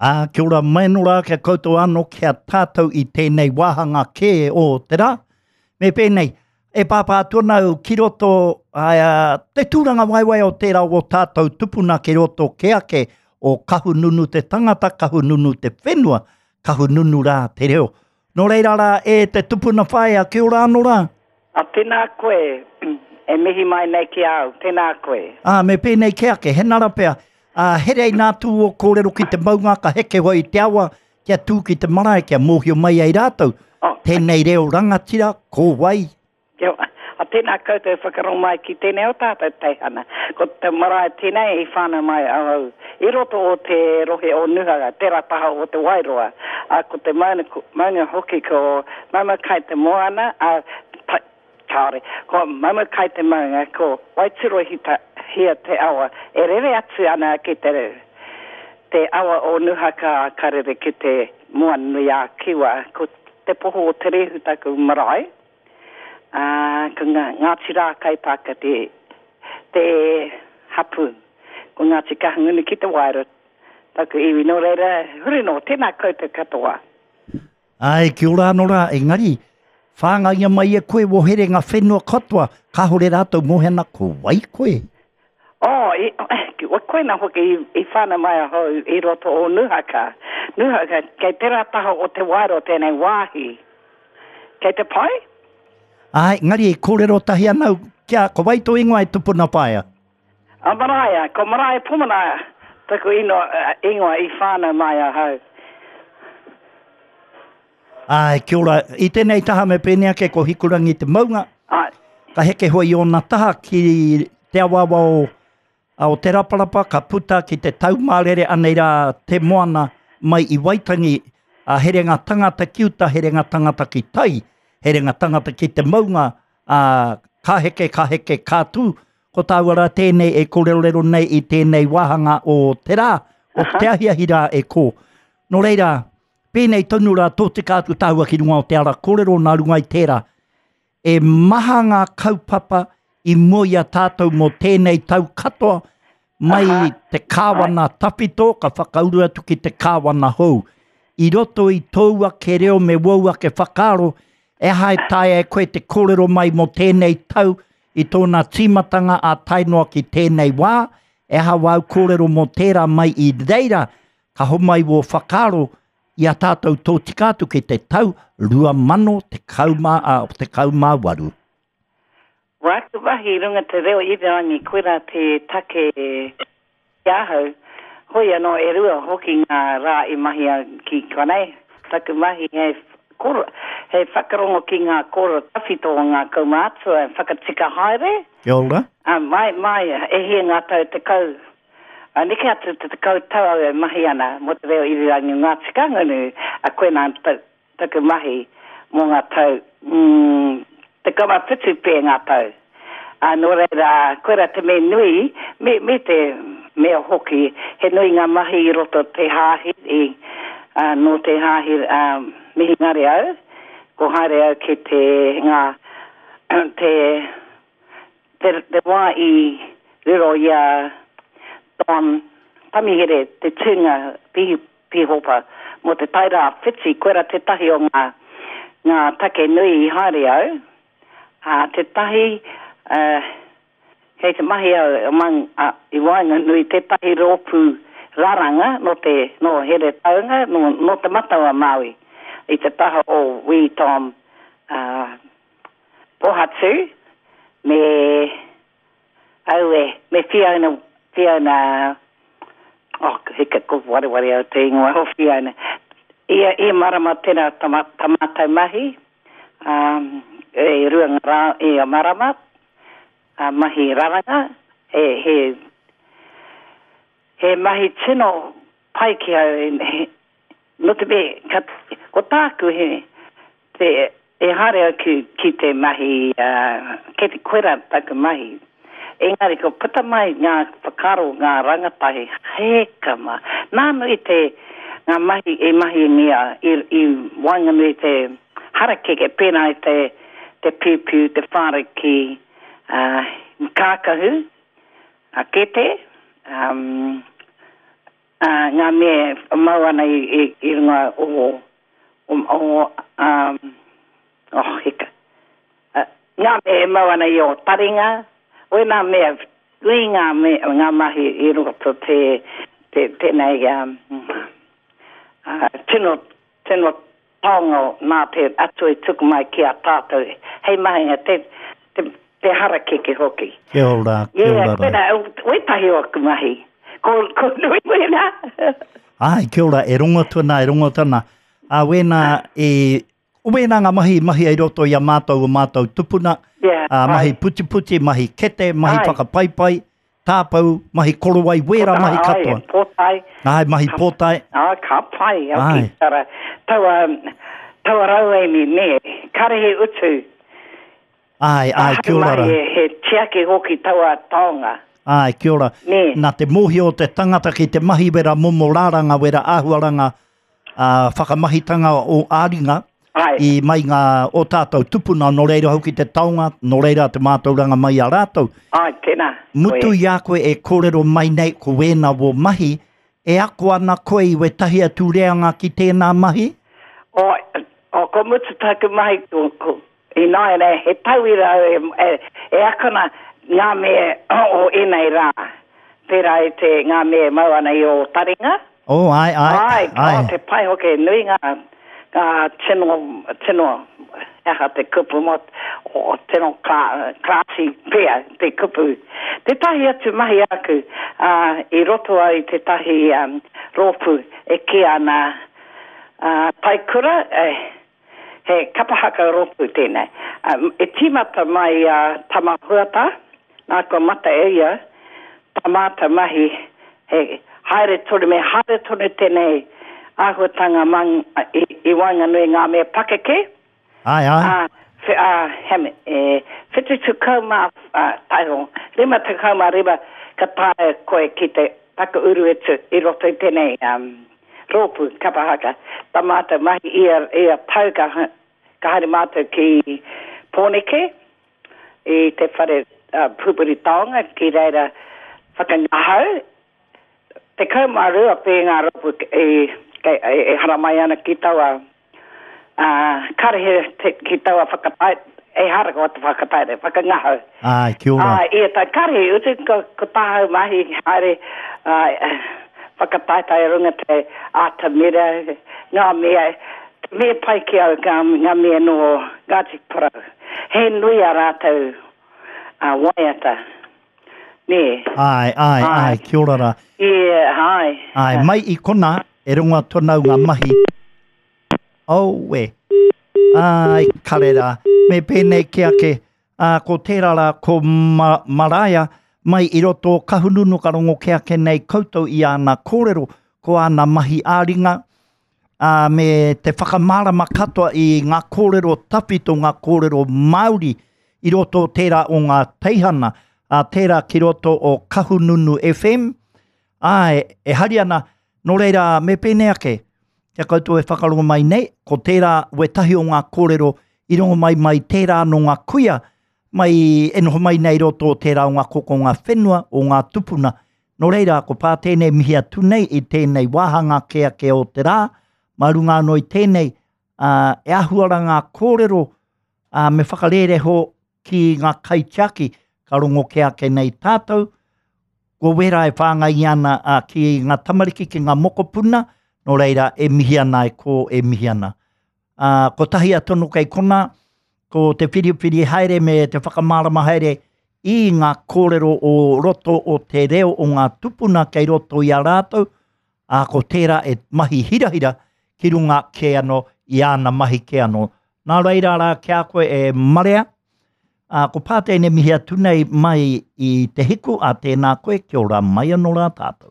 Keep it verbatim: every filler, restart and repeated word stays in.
Ā, kia ora mai anō rā kia koutou anō kia tātou i tēnei wāhanga kē o te rā. Me pēnei, e pāpā atu ana au ki roto ā, te tūranga waewae o tērā o tātou tupuna ki roto ke ake o Kahungunu te tangata, Kahungunu te whenua, Kahungunu rā te reo. Nō reira rā e te tupuna whaea, kia ora anō rā. A tēnā koe, e mihi mai nei ki au, tēnā koe. Ā, me pēnei ke ake, he nara pea, ā, herei nā tū o kōrero ki te maunga ka heke hoi te awa, kia tū ki te marae, kia mōhio mai ai rātou. Oh, Tēnei reo rangatira, ko wai? Kia, a tēnā koutou whakarongo mai ki tēnei o tātou teihana. Ko te marae tēnei i whānau mai ahau i roto o te rohe o Nuhaka, tērā taha o te Wairoa. A, ko te maunga, maunga hoki ko Maumakai te moana, a, ta, kāore, ko Maumakai te maunga, ko Waiturohita hia te awa, e rere atu ana ki te, te awa o Nuhaka ka rere ki te moana nui a Kiwa. Ko te poho o Te Rehu taku marae. Ā, ko ngā, Ngāti Rākaipaaka te, te hapū. Ko Ngāti Kahungunu ki te Wairua taku iwi. Nō reira, huri nō, tēnā koutou katoa. Ai, kia ora anō rā, engari, whāngaia mai e koe wō herenga whenua katoa, kāore rātou mōhio ana ko wai koe? Oh, i, koina hoki i, i whānau mai ahau i roto o Nuhaka. Nuhaka, kei tērā taha o te Wairua tēnei wāhi. Kei te pai? Ai, engari e kōrero tahi ana au, kia, ko wai tō ingoa e tupuna whaea? A Maraea, ko Maraea Pomana taku ino, ingoa i whānau mai ahau. Ai, kia ora. I tēnei taha me pēnei ake ko Hikurangi te maunga. Ai. Ka heke hoi i ōna taha ki te awaawa o, o Te Raparapa, ka puta ki te Taumārere, anei rā te moana mai i Waitangi, a herenga tangata ki uta, herenga tangata ki tai, herenga tangata ki te maunga, a, ka heke, ka heke, ka tū. Ko tāua rā tēnei e kōrerorero nei i tēnei wāhanga o te rā, o te ahiahi rā e kō. Nō reira, pēnei tonu rā tōtika atu tāua ki runga o te ara kōrero nā runga i tērā. E maha ngā kaupapa i mua i a tātou mō tēnei tau katoa, mai Aha. te kāwana tawhito ka whakauru atu ki te kāwana hou. I roto i tōu ake reo me wōu ake whakaaro, e aha e taea e koe te kōrero mai mō tēnei tau i tōna tīmatanga a tae noa ki tēnei wā, e aha wāu kōrero mō tērā mai i reira, ka homai wō whakaaro i a tātou tōtika atu ki te tau rua mano tekau mā, ā, tekau mā waru. Wāku mahi i runga te reo irirangi, koirā te take ki ahau. Hoi anō e rua hoki ngā rā i mahi au ki konei. Taku mahi hei koro, hei whakarongo ki ngā kōrero tawhito o ngā kaumātua e whakatika haere. Kia ora. Ā, mai, mai, e hia ngā tau tekau, ā, neke atu te tekau tau au e mahi ana mō te reo irirangi o Ngāti Kahungunu, ā, koinā taku mahi mō ngā tau, mm, tekau mā whitu pea ngā tau. Ā, nō reira, koirā te mea nui, me, me te mea hoki, he nui ngā mahi i roto te hāhi, i, ā, nō te hāhi, ā, mihingare au, ko haere au ki te, ngā, te, te, te wā i riro i a Don Tamihere te tūnga pihi, pīhopa mō te Tairāwhiti, koirā tētahi o ngā, ngā take nui i haere au. Ā, tētahi, ā, kei te mahi au among, ā, i waenganui tētahi rōpū raranga nō te, nō Heretaunga, nō, nō Te Matau a Māui, i te taha o Wī Tom, ā, Pohatu, me, aue, me Fiona, Fiona, oh, hika, ko wareware au te ingoa o Fiona. Ia, ia marama tēnā tā, tā mātou mahi, um, e rua ngā rā ia marama, a mahi raranga, he, he, he mahi tino pai ki au, he, nō te mea, ka, ko tāku he, te, e haere au ki, ki te mahi, uh, kei te koera taku mahi. Engari ko puta mai ngā whakaaro, ngā rangatahi, heka mā. Nānu i te, ngā mahi e mahingia i, i waenganui te harakeke, pēnā i te, te piupiu, te whāriki, uh, kākahu, a kete, um, uh, ngā mea e mau ana i, i, i runga o, o, o, um, oh, hika. Uh, ngā mea e mau ana i o taringa, wēnā mea, nui ngā, mea, ngā mahi i roto te, te, tēnei um, uh, tino, tino taonga nā te Atua i tuku mai ki a tātou. Hei mahinga, te, te, te harakeke hoki. Kia ora, kia Yeah, ora rā. wēnā, wētahi o aku mahi. Ko, ko nui wēnā. Ai, kia ora, e rongo atu ana, e rongo atu ana. A wēnā, e, wēnā ngā mahi, mahi i roto i a mātou o mātou tupuna, Yeah, a, mahi ai. putiputi, mahi kete, mahi Ai. whakapaipai, tāpau, mahi korowai, wērā mahi Ai, katoa. pōtae. Ai, mahi pōtae. Ah, ka pai, au Ai. ki tara, taua, taua rauemi, nē, kare he utu. Ai, ai, kia ora rā. He, he tiaki hoki taua taonga. Ai, kia ora. Nē. Nā te mōhio o te tangata ki te mahi wera momo rāranga, wera āhuaranga, uh, whakamahitanga o āringa, Ai. i mai ngā o tātou tupuna, nō reira hoki te taonga, nō reira te mātauranga mai a rātou. Ai, tēnā. Mutu Koe. i a koe e kōrero mai nei ko wēnā wō mahi, e ako ana koe i wetahi atu reanga ki tēnā mahi? O, o, ko mutu taku mahi, ko, ko, i nāianei, he tauira au e, e, e akona ngā mea o ēnei rā. Pērā i te ngā mea e mau ana i o taringa. Oh, ai, ai, Ai, ai. Oh, te pai hoki, nui ngā, ngā tino, tino, aha te kupu mō, o tino klā, klāsi pea te kupu. Tētahi atu mahi aku, uh, i roto au i tētahi um, rōpū e kī ana uh, taikura, eh, he kapahaka rōpū tēnei. Um, e tīmata mai a uh, Tamahuata, nā kua mata e ia, tā mātou mahi, he haere tonu, me haere tonu tēnei āhuatanga mang, i, i waenganui ngā mea pakeke. Ai, ai. Ā, whe, ā, hemi, e, whitu tekau mā, ā, taiho, rima tekau mā rima, ka taea koe ki te whakauru atu i roto i tēnei um, rōpū kapahaka. Tā mātou mahi ia, ia tau ka, ka haere mātou ki Pōneke, i te whare uh, pupuri taonga, ki reira whakangahau. Tekau mā rua pē ngā rōpū e, e, e, e haramai ana ki taua uh, kare he te, ki taua whakatae, e hara ko te whakataere, whakangahau. Ai, kia ora. Ai, ia tā kare he utu, ko, ko tāhau mahi haere uh, whakataetae runga te ātamira, ngā mea, te mea pai ki au, ngā, ngā mea no Ngāti Porou. He nui a rātou uh, waiata. Nē. Ai, ai, ai, Ai. kia ora rā. Ia, ai. Ai, mai i kona, e rongo atu ana au ngā mahi. Aue. Ai, kare rā. Me pēnei ki ake, ā, ko tērā rā, ko ma Maraea, mai i roto o Kahungunu ka rongo ke ake nei koutou i āna kōrero, ko āna mahi āringa, ā, me te whakamārama katoa i ngā kōrero tawhito, ngā kōrero Māori, i roto o tērā o ngā teihana, ā, tērā ki roto o Kahungunu F M, Ai, e hari ana, nō reira, me pēnei ake, kia koutou e whakarongo mai nei, ko tērā wetahi o ngā kōrero i rongo mai mai tērā no ngā kuia, mai e noho mai nei roto o tērā o ngā koko o ngā whenua, o ngā tupuna. Nō reira, ko pā tēnei mihi atu nei i tēnei wāhanga ke ake o te rā, mā runga anō i tēnei, ā, e ahuara ngā kōrero, ā, me whakarereho ki ngā kaitiaki, ka rongo ke ake nei tātou, ko wera e whāngai ana, ā, ki ngā tamariki, ki ngā mokopuna, nō reira e mihi ana e ko e mihi ana. Ā, ko tahi a tono kei kona, ko te whiriwhiri haere me te whakamārama haere i ngā kōrero o roto o te reo o ngā tupuna kei roto i a rātou, ā, ko tērā e mahi hirahira ki runga ke anō, i āna mahi ke anō. Nā reira rā ki a koe e marea, ā, ko pā tēnei mihi atu nei mai i te hiku, a tēnā koe, kia ora mai anō rā tātou.